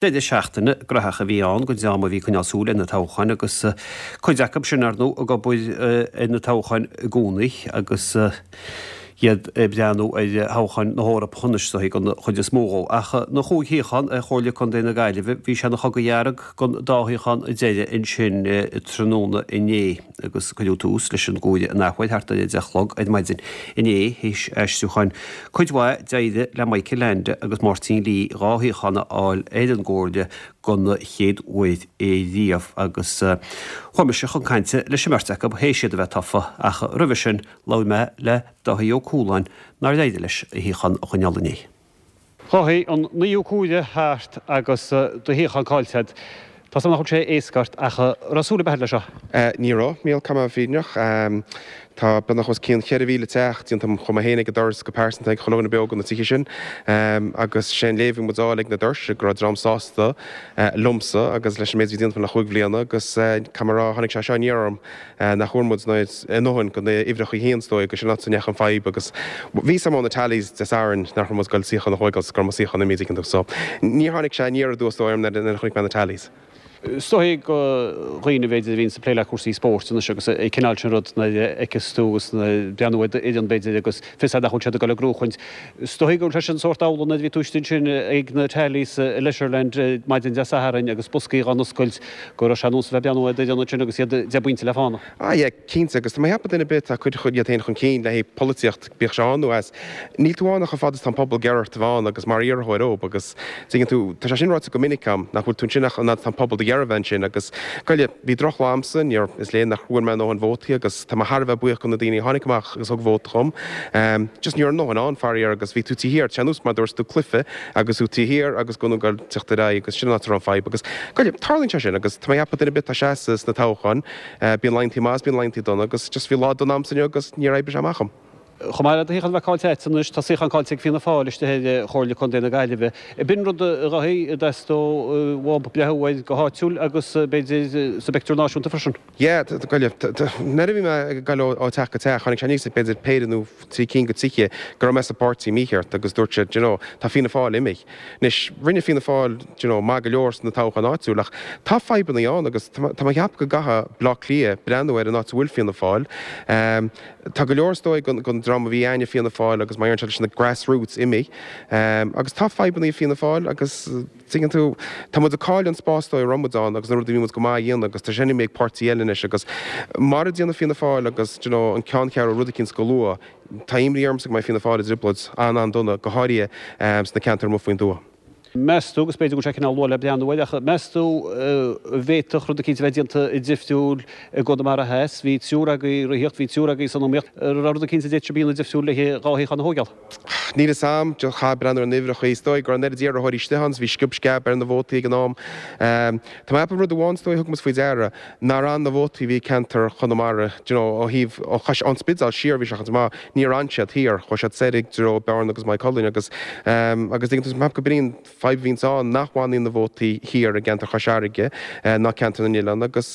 Deireadh seachtaine graitheach a bhí ann don dream a bhí ag coinneáil súil ar na toghcháin agus cuid acu sin, ar ndóigh, ag obair ar na toghcháin i gcónaí agus iad ag breathnú ar thoghcháin na hEorpa anois, is dóigh, don chuid is mó dhó. Ach na chúig shuíochán ar Chomhairle Contae na Gaillimhe, bhí sé ina chogadh dhearg don dá shuíochán deiridh ansin tráthnóna inné. agus cuireadh tús leis an gcomhaireamh an athuair thart ar 10 a chlog ar maidin inné, théis aistriúcháin cuid mhaith d'éirigh le Michael Leainde agus Máirtín Lee 2 shuíochán a fháil ar an gComhairle don chéad uair riamh agus chuaigh mise chun cainte leis an mbeirt acu théis iad a bheith tofa ach roimhe sin labhair mé le Dáithí Ó Cualáin nár éirigh leis a shuíochán a choinneáil inné. Dháithí, an naoú comhaireamh thart agus do shuíochán caillte agat. Tá 's agam nach bhfuil sé éasca ort ach an raibh súil ar bith agat leis seo? Ní raibh, Mícheál, caithfidh mé a bheith fírinneach. Tá beagnach os cionn 4,000 teach déanta agam, chuaigh mé féin ag an doras go pearsanta ag chuile dhuine beo de na tithe sin agus sé an léamh a bhí muid a fháil ag na doirse go raibh dream sásta liomsa agus leis an méid a bhí déanta agam le chúig bhliana agus caithfidh mé a rá tháinig sé seo aniar orm. nach bhfuair muid a ndóthain de na huimhreacha féin is dóigh agus sin an áit a ndeachaigh an fadhb agus bhí 'fhios a'm ó na tallies Dé Sathairn nach raibh muid ag goil suíochán a thóigeáil 's go raibh mo suíochán imithe an dtuigeann tú so níor tháinig sé aniar aduas dóigh orm nuair a chonaic mé na tallies. Is dóigh do dhaoine b'fhéidir a bhíonns ag plé le cúrsaí spóirt anois agus an cineál sin rud nuair a fheiceas tú agus nuair breathnú ar d'fhoireann b'fhéidir agus fios a'd nach bhfuil siad ag dul ag gnóchaint. Is dóigh go bhfuil sé sin sórt amhlaidh nuair a bhí tú istigh ansin ag na tallies i Leisureland maidin Dé Sathairn agus boscaí dhá n-oscailt go raibh sé ar nós a bheith ag breathnú ar d'fhoireann ansin agus iad deich bpointe le fána. Ah yeah, cinnte, agus tá mé ag ceapadh duine ar bith atá ag cur iad féin chun cinn le haghaidh polaitíocht, bíodh sé ann nó as, níl tú ann ach chomh fada is tá an pobal ag iarraidh ort a bheith ann agus mar iarrthóir dóibh agus tuigeann tú, tá sé sin ráite go minic agam, nach bhfuil tú ansin ach an fhad is tá an pobal do iarraidh a bheith ansin agus, goile, bhí drochlá a'msa, níor, is léir nach bhfuair mé a ndóthain vótaí agus tá mé thar a bheith buíoch do na daoine a tháinig amach agus thug vóta dhom. Just ní raibh a ndóthain ann, faraor, agus bhí tú taobh thiar, tá sé ar nós mar dúirt tú cluiche agus tú taobh thiar agus go ag teacht ar aghaidh agus sin an áit a raibh an fadhb agus, goile, tarlaíonn sé sin agus tá mé ag ceapadh duine ar bith atá ag seasamh sna toghcháin, bíonn laethanta maith is bíonn laethanta dona agus just bhí lá dona a'msa inniu agus níor oibrigh sé amach dhom. Chomh maith le do shuíochán a bheith caillte agat anois, tá suíochán caillte ag Fianna Fáil istigh ar Chomhairle Contae na Gaillimhe. B'in rud a Dháithí, a dteastódh uathu breathnú air go háitiúil agus b'fhéidir sa bpictiúr náisiúnta freisin. Yeah, goile, nuair a bhí mé ag goil ó teach go teach, tháinig sé aníos ag b'fhéidir péire nó trí cinn de tithe go raibh mé sa bpáirtí mícheart agus dúirt siad, you know, tá Fianna Fáil imithe. Anois, rinne Fianna Fáil, you know, maith go leor sna toghcháin áitiúil ach tá fadhbanna ann agus tá mé ag ceapadh go gcaithfidh Bleá Cliath breathnú ar an áit a bhfuil Fianna Fáil. Tá go leor is dóigh den dream a bhí againne Fianna Fáil agus mar deireann siad leis na grassroots imithe. Agus tá fadhbanna ag Fianna Fáil agus tuigeann tú, tá muid ag cailleadh an spás is dóigh a raibh muid ann agus na rudaí a bhí muid go maith a dhéanamh agus tá sin imithe ag páirtí eile anois agus mara ndéanfaidh Fianna Fáil agus do you know an ceanncheathrú rud eicínt go luath, tá imní ormsa go mbeidh Fianna Fáil i dtrioblóid an-an-dona, go háirithe sna ceantair amuigh faoin dtuath. Meas tú, agus b'fhéidir go bhfuil sé cineál luath le breathnú air, ach meas tú an bhféadfadh rud eicínt a bheith déanta difriúil i gConamara Theas? Bhí triúr agaibh ag reathaíocht, bhí triúr agaibh san iomaíocht. An raibh rud eicínt a d'fhéadfadh sibh a dhéanamh difriúil le dhá shuíochán a thóigeáil? Níl fhios a'm, chaithfeá breathnú ar na uimhreacha. Is dóigh go raibh an oiread iarrthóirí istigh ann, is bhí sciob sceab ar na vótaí ag an am. Tá mé ag ceapadh rud amháin is dóigh a thug muid faoi deara, nár fhan na vótaí a bhí i gceantar Chonamara, do you know, ó thaobh, ó Chois, ón Spidéal siar bhí sé chun maith, Níor fhan siad thiar, chuaigh siad soir i dtreo Bearna agus Maigh Cuilinn agus agus tuigeann tú, is maith gurb in í an fadhb a bhíonns ann nach bhfanann na vótaí thiar i gceantar Chois Fharraige ná ceantar na nOileán agus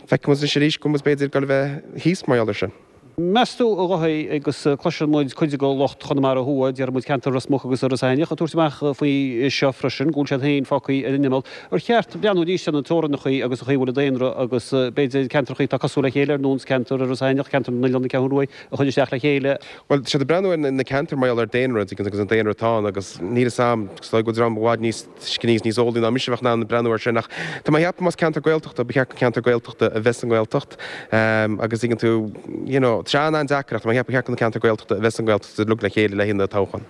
feicfidh muid anois arís go bhfuil muid b'fhéidir ag dul a bheith thíos mar gheall air sin. Meas tú, a Dháithí, agus cloiseann muid cuid de lucht Chonamara Thuaidh, déarfaidh muid ceantar Ros Muc agus Iorras Aithneach, ag tabhairt amach faoi seo freisin, go bhfuil siad féin fágtha ar an imeall. Ar cheart breathnú arís ar na teorainneacha agus an chaoi a bhfuil an daonra agus b'fhéidir ceantracha atá cosúil le chéile ar nós ceantar Iorras Aithneach, ceantar na nOileán, na Ceathrún Rua, a chur isteach le chéile? Bhuel, tá siad ag breathnú ar na ceantair mar gheall ar daonra agus an daonra atá ann agus níl fhios a'm, is dóigh go bhfuil dream i bhfad níos tuisceanaí agus níos eolaí ná mise a bheadh in ann breathnú air sin ach tá mé ag ceapadh más ceantar Gaeltachta ba cheart gur ceantar Gaeltachta a bheith sa nGaeltacht agus tuigeann tú, you know, tá sé an-an-deacair ach tá mé ag ceapadh ba cheart do na ceantair Gaeltachta a bheith sa nGaeltacht uilig le chéile le haghaidh na toghchán.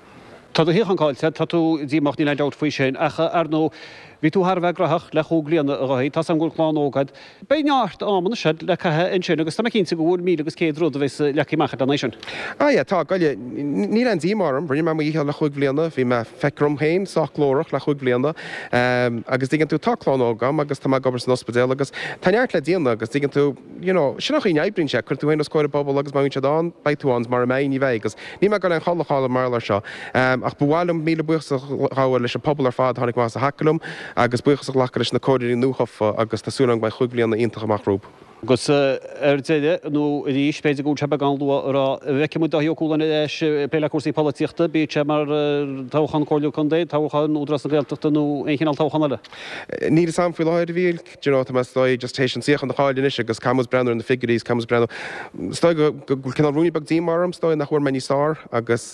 Tá do shuíochán caillte, tá tú díomách, níl aon dabht faoi sin, ach ar ndóigh, bhí tú thar a bheith graitheach le chúig bliana, a Dháithí. Tá's agam go bhfuil clann óg agat. Beidh neart ama anois agat le caitheamh ansin agus tá mé cinnte go bhfuil míle agus céad rud a bheas leagtha amach agat lena aghaidh sin. Ah yeah, tá, goile, níl aon díomá orm. Rinne mé mo dhícheall le chúig bhliana, bhí mé, feictear dom féin, sách glórach le chúig bhliana. Agus tuigeann tú, tá clann óg agam agus tá mé ag obair san ospidéal agus tá neart le déanamh agus tuigeann tú, you know, sin an chaoi a n-oibríonn sé, cuireann tú féin os comhair an phobail agus má bhíonn siad ann, beidh tú ann, is mara mbeidh, ní bheidh agus níl mé ag dul aon chodladh a chaill mar gheall air seo. Ach ba mhaith liom míle buíochas a ghabháil leis an pobal ar fad a tháinig amach is a thacaigh liom agus buíochas a ghlacadh leis na comhairleoirí nuathofa agus tá súil agam go mbeidh chúig bhliana iontach amach rompu. Agus ar deireadh, nó arís, b'fhéidir go bhfuil sé beagán luath a rá, an bhfeicfidh muid Dáithí Ó Cualáin ar ais ag plé le cúrsaí polaitíochta, bíodh sé mar toghchán Comhairle Contae, toghchán Údarás na Gaeltachta nó aon chineál toghchán eile? Níl fhios a'm faoi láthair, a Mhíchíl. Do you know, tá mé is dóigh just théis an suíochán a chaill anois agus caithfidh muid breathnú ar na figiúirí is caithfidh muid breathnú, is dóigh go bhfuil cineál ruainne beag díomá orm, is dóigh nach bhfuair mé níos fearr agus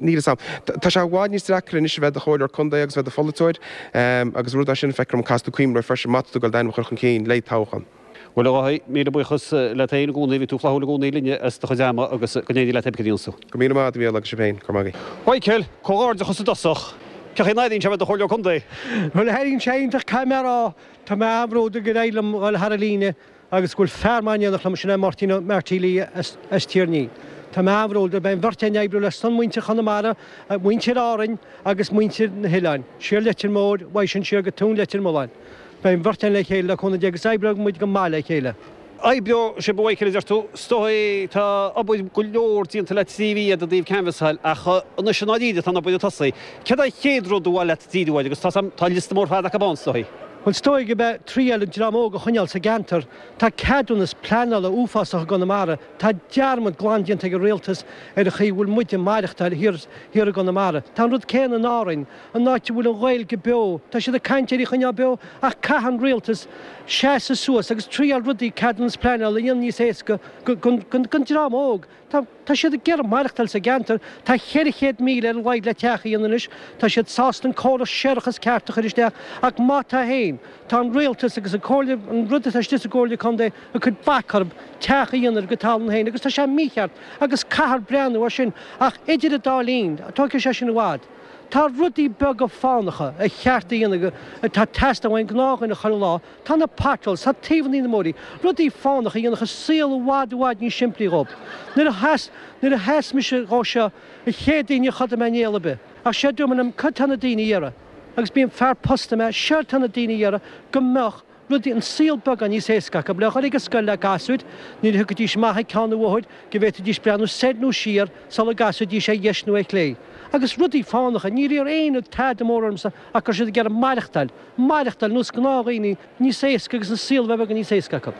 níl fhios a'm. Tá sé i bhfad níos deacra anois a bheith i do chomhairleoir contae agus a bheith i do pholaiteoir agus rud é sin a feictear dom caithfidh tú cuimhneamh air freisin má tá tú ag dul d'ainm a chur chun cinn le toghchán. Bhuel, a Dháithí, míle buíochas leat féin i gcónaí, bhí tú flaithiúil i gcónaí linne as do chuid ama agus go n-éirí leat pé cad a dhéanfas tú. Go raibh míle maith agat, a Mhíchíl, agus sibh féin. Go raibh maith agaibh. Mhichael, comhghairdeachas i dtosach. Cén chaoi a n-airíonn sé a bheith i do chomhairleoir contae? Bhuel, airíonn sé iontach, caithfidh mé a rá. Tá mé an-bhródúil gur éirigh liom dhul thar an líne agus go bhfuil fear maith in éineacht liom, sin é Máirtín Ó Marty Lee as Tír an Fhia. Tá mé an-bhródúil, beidh an bheirt againn ag oibriú le son muintir Chonamara, muintir Árainn agus muintir na hoileáin, siar Leitir Móir, uaidh sin siar go Tóin Leitir Mealláin. Beidh an bheirt againn le chéile le cúnamh Dé agus oibreoidh muid go maith le chéile. Oibreoidh sibh a Mhichael a deir tú. Is dóigh tá obair go leor déanta le 3 mhí agat i dtaobh canbhasáil ach anois i ndáiríre tá an obair ag tosaí. Céard é an chéad rud ar mhaith leat díriú air agus tá tá liosta mór fada acu ann is dóigh. Bhuel is dóigh go mbeidh triail an dream óg a choinneáil sa gceantar. Tá ceadúnas pleanála uafásach i gConamara. Tá dearmad glan déanta ag an rialtas ar an chaoi a bhfuil muid ag maireachtáil thiar thiar i gConamara. Tá an rud céanna in Árainn. An áit a bhfuil an Ghaeilge beo, tá siad ag caint ar í a choinneáil beo ach caithfidh an rialtas seasamh suas agus triail rudaí, ceadúnas pleanála a dhéanamh níos éasca don dream óg. Tá siad ag iarraidh maireachtáil sa gceantar. Tá 400,000 ar a laghad le teach a dhéanamh anois. Tá siad sásta an córas séarachais ceart a chur isteach ach má tá féin, tá an rialtas agus an comhairle, an rud atá istigh sa gcomhairle contae ag cur bac orthu teach a dhéanamh ar a gcuid talún féin agus tá sé mícheart agus caithfear breathnú air sin ach idir an dá linn, tógfaidh sé sin i bhfad. Tá rudaí beaga fánacha ar cheart a dhéanamh atá ag teastáil ón ngnáthdhuine chuile lá, tá na potholes, tá taobhanna na mbóithrí, rudaí fánacha a dhéanfadh an saol i bhfad i bhfad níos simplí dhóibh. Nuair a sheas, nuair a sheas mise dhó seo, an chéad daoine níor chodail mé néal ar bith. Ach séard dúirt mé liom, cad tá na daoine a iarraidh? Agus bíonn fear posta mé, séard tá na daoine a iarraidh go mbeadh rudaí, an saol beagán níos éasca acu, le dhul ag an scoil le gasúir, nuair a thiocfaidís amach ag ceann an bhóthair, go bhféadfaidís breathnú soir nó siar sula gcasfaidís ar dheis nó ar chlé. Agus rudaí fánacha, níor iarr éinne tada mór ormsa ach go raibh siad ag iarraidh maireachtáil, maireachtáil nós gnáthdhaoine níos éasca agus an saol a bheith beagán níos éasca acu.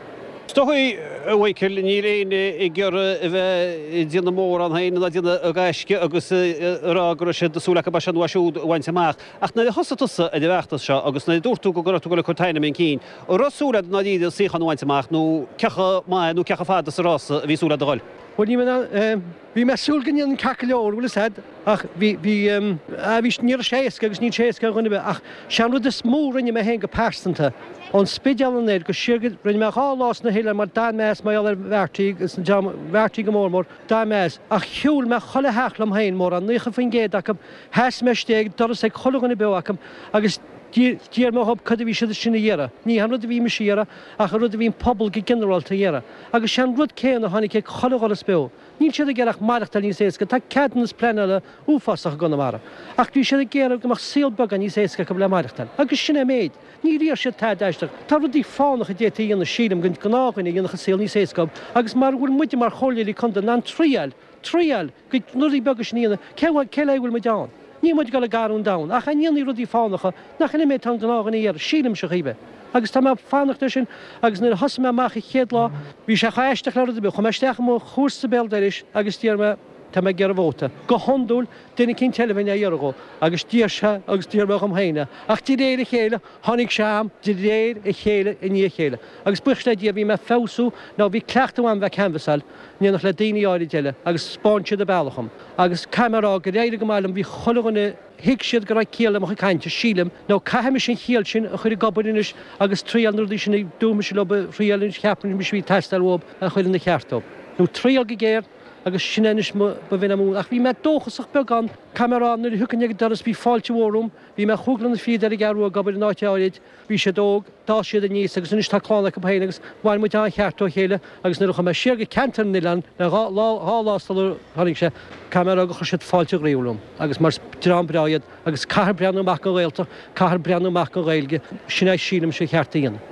Is dóigh, a Mhichael, níl éinne ag iarraidh a bheith ag déanamh mórán féin ná ag déanamh gaisce agus ag rá go raibh siad súil acu é seo nó é siúd a bhaint amach. Ach nuair a thosaigh tusa ar an bhfeachtas seo agus nuair a dúirt tú go raibh tú ag dul ag cur t'ainm chun cinn, an raibh súil agat i ndáiríre suíochán a bhaint amach nó cé chomh maith nó cé chomh fada sa rása a bhí súil agat a dhul? Bhuel, ní raibh, bhí mé ag súil go ndéanfainn ceart go leor, bhfuil fhios a'd, ach bhí, bhí, ah, bhí, ní raibh sé éasca agus níl sé éasca ar dhuine ar bith ach sé an rud is mó a rinne mé féin go pearsanta, ón Spidéal anoir go siar go, rinne mé 2 lá sna hoileáin mar d'fhan mé as mar gheall ar Mharty agus an dream, Mharty go mór mór, d'fhan mé as, ach shiúil mé chuile theach liom féin, mórán, 90% acu, Sheas mé istigh ag doras ag chuile dhuine beo acu agus d'iarr mé dhób cad a bhí siad sin a iarraidh. Ní an rud a bhí mise a iarraidh ach an rud a bhí an pobal go ginearálta a iarraidh. Agus sé an rud céanna a tháinig ag chuile dhoras beo. Níl siad ag iarraidh ach maireachtáil níos éasca. Tá ceadúnas pleanála uafásach i gConamara. Ach bhí siad ag iarraidh go mbeadh saol beagán níos éasca acu le maireachtáil. Agus sin é an méid. Níor iarr siad tada aisteach. Tá rudaí fánacha a d'fhéadfaí a dhéanamh sílim don gnáthdhuine a dhéanfadh an saol níos éasca dhób. Agus mara bhfuil muide mar chomhairleoirí contae in ann triail, triail, go na rudaí beaga sin a dhéanamh, cé cé le bhfuil muid ann? Níl muid ag dul ag athrú an domhan, ach a ndéanfaidh rudaí fánacha, nach in é an méid atá an gnáthdhuine a iarraidh, sílimse a chaoi. Agus tá mé ag fanacht air sin, agus nuair a thosaigh mé amach an chéad lá, bhí sé chomh aisteach le rud ar bith, chuaigh mé isteach i mo chomharsa béal dorais agus d'iarr mé, tá mé ag iarraidh vóta. Go hiondúil, duine eicínt eile a bheinn á iarraidh dhó, agus d'iarr sé, agus d'iarr mé dhom féin é. Ach de réir a chéile, tháinig sé a'm, de réir a chéile i ndiaidh a chéile. Agus buíochas le Dia, bhí mé ag feabhsú, nó bhí cleachtadh a'm bheith ag canbhasáil, in éineacht le daoine áirid eile agus 'spáin siad an bealach dhom. Agus caithfidh mé a rá gur éirigh go maith liom, bhí chuile dhuine, thuig siad go raibh ciall le mo chuid cainte, sílim, nó caithfidh mise an chiall sin a chur ag obair anois agus triail na rudaí sin a dúirt mise leo a thriail anois, cheap mise a bhí ag teastáil uathu a chur ina cheart dóibh. Nó triail go géar agus sin é anois mo, ba mhin am. Ach bhí mé dóchasach beagán, caithfidh mé a rá, nuair a thiocfainn ag an doras bhí fáilte mhór romham, bhí mé chúig lá fichead ar an gCeathrú Rua ag obair in áit áirid, Bhí siad óg, d'fhás siad aníos agus anois tá clann acu féin agus bhain muid an-cheart ó chéile agus nuair a chuaigh mé siar go ceantar na n-oileán le dhá lá, dhá lá sular tháinig sé, caithfidh mé a rá gur chuir siad fáilte ghroíúil romham agus mar is dream breá iad agus caithfear breathnú amach don Ghaeltacht, caithfear breathnú amach don Ghaeilge, sin é sílimse an cheart a dhéanamh.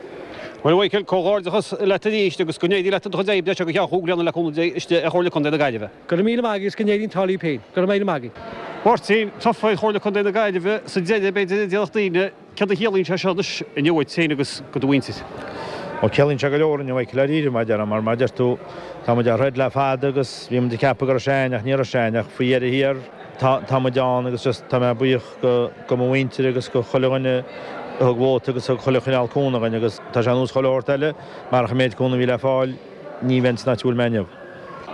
Bhuel a Mhichael, comhghairdeachas leat arís agus go n-éirí leat i do chuid oibre seo go ceann chúig bliana le cúnamh Dé istigh ar Chomhairle Contae na Gaillimhe. Go raibh míle maith agat agus go n-éirí an t-ádh libh féin. Go raibh míle maith agat. Máirtín, tofa ar Chomhairle Contae na Gaillimhe sa deireadh, b'fhéidir a déarfadh daoine. Céard a chiallaíonn sé seo anois inniu duit féin agus do do mhuintir? Ó ciallaíonn sé go leor inniu, Michael, dáiríre, mar a déarfá, mar mar a deir tú, tá muid á throid le fada agus bhí muid ag ceapadh go raibh sé a'ainn ach ní raibh sé a'ainn ach faoi dheireadh thiar tá, tá muid ann agus just tá mé buíoch go, go mo mhuintir agus go chuile dhuine a thug vóta agus thug chuile chineál cúnamh dhuinn agus tá sé ar nós chuile shórt eile, marach an méid cúnamh a bhí le fáil ní bheinn san áit a bhfuil mé inniu.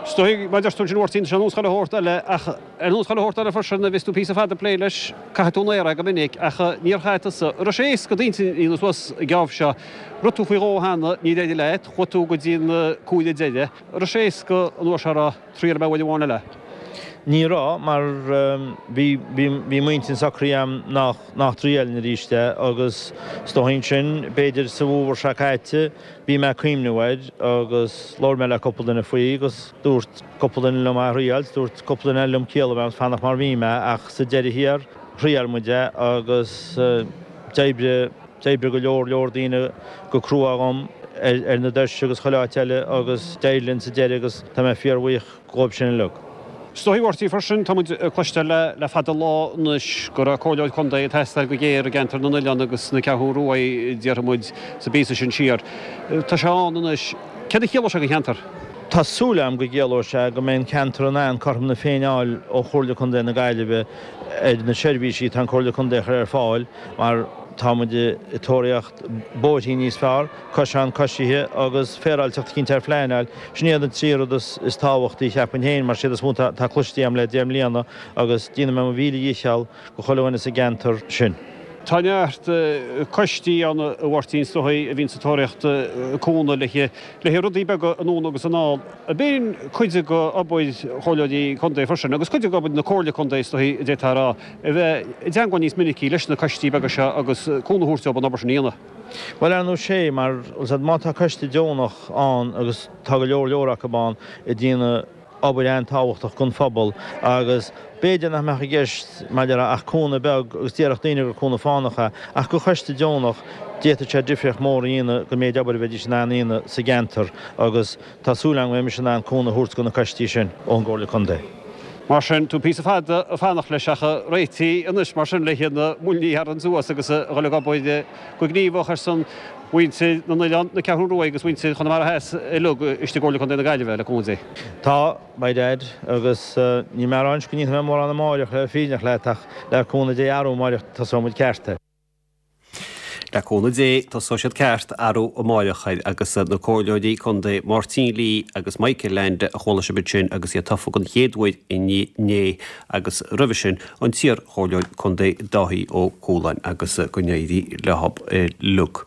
Is dóigh, mar a deir tú ansin a Mháirtín, tá sé ar nós chuile shórt eile ach ar nós chuile shórt eile freisin, a bheas tú píosa fada ag plé leis, caithfidh tú an aer é go minic ach níor chaith tusa, an raibh sé éasca d'intinn a dhéanamh suas an geábh seo, rith tú faoi dhó cheana, níor éirigh leat, chuaigh tú go dtí an cuaille deiridh, an raibh sé éasca an uair seo a rá, triailfidh mé uair amháin eile? Ní raibh, mar bhí, bhí, bhí m'intinn socraithe a'm nach, nach dtriailfinn arís é agus is dóigh ansin, b'fhéidir sa bhfómhar seo caite, Bhí mé ag cuimhneamh air agus labhair mé le cúpla duine faoi agus dúirt cúpla duine liom é a thriáilt, dúirt cúpla duine eile liom ciall a bheith ann fanacht mar bhí mé ach sa deireadh thiar thriail muid é agus d'oibrigh, d'oibrigh go leor leor daoine go crua dhom ar na doirse agus chuile áit eile agus d'éirigh linn sa deireadh agus tá mé fíorbhuíoch. dhóibh sin uilig. Is dóigh, a Mháirtín, freisin, tá muid ag cloisteáil le fada an lá anois go raibh comhairleoir contae ag teastáil go géar i gceantar na nOileán agus na Ceathrún Ruaidh, déarfaidh muid, sa bpíosa sin siar. Tá sé ann anois. Céard a chiallóidh sé don cheantar? Tá súil agam go gciallóidh sé go mbeidh an ceantar in ann cothrom na Féinne a fháil ó Chomhairle Contae na Gaillimhe ar na seirbhísí atá an Comhairle Contae a chur ar fáil mar tá muid ag tóraíocht bóithrí níos fearr, coiseán coisithe agus féaráilteacht eicínt ar phleanáil. Sin iad an trí rud is tábhachtaí, cheapfainn féin, mar siad is mó atá cloiste agam le deich mbliana agus déanfaidh mé mo mhíle dhícheall go chuile dhuine sa gceantar sin. Tá neart coistí ann, a Mháirtín, is dóigh, a bhíonns ag tóraíocht cúnamh le haghaidh rudaí beaga anonn agus anall. Ab in cuid de obair chomhairleoirí contae freisin, agus cuid de obair na Comhairle Contae, is dóigh, a d'fhéadfá a rá, a bheith i dteangmháil níos minicí leis na coistí beaga seo agus cúnamh a thabhairt dóibh an obair sin a dhéanamh. Bhuel, ar ndóigh sé, mar, má tá coiste deonach ann, agus tá go leor leor acu ann, ag déanamh obair an-tábhachtach don phobal, agus b'fhéidir nach mbeadh i gceist, mar a déarfá, ach cúnamh beag, agus déarfadh daoine gur cúnamh fánach é, ach do choiste deonach, d'fhéadfadh sé difríocht mór a dhéanamh don méid obair a bheidís in ann a dhéanamh sa gceantar, agus tá súil agam go mbeidh mise in ann cúnamh a thabhairt do na coistí sin ón gComhairle Contae. Mar sin, tú píosa fada ag fanacht leis ach réitithe anois mar sin le na muilní a tharraingt suas agus a dhul ag obair go gníomhach ar son mhuintir na nOileán, na Ceathrún Rua agus mhuintir Chonamara Theas uilig istigh i gComhairle Contae na Gaillimhe, le cúnamh Dé. Tá, by dad, agus níl mé ag rá anois go ndéanfaidh mé mórán amáireach le fírinneach leat ach le cúnamh Dé arú amáireach tosóidh muid ceart. Le cúnamh Dé, tosóidh siad ceart arú amáireach agus na Comhairleoirí Contae Máirtín Lee agus Michael Leainde a chuala sibh ansin agus iad tofa den chéad uair inné agus roimhe sin an t-iar-Chomhairleoir Contae Dáithí Ó Cualáin agus go n-éirí leo uilig.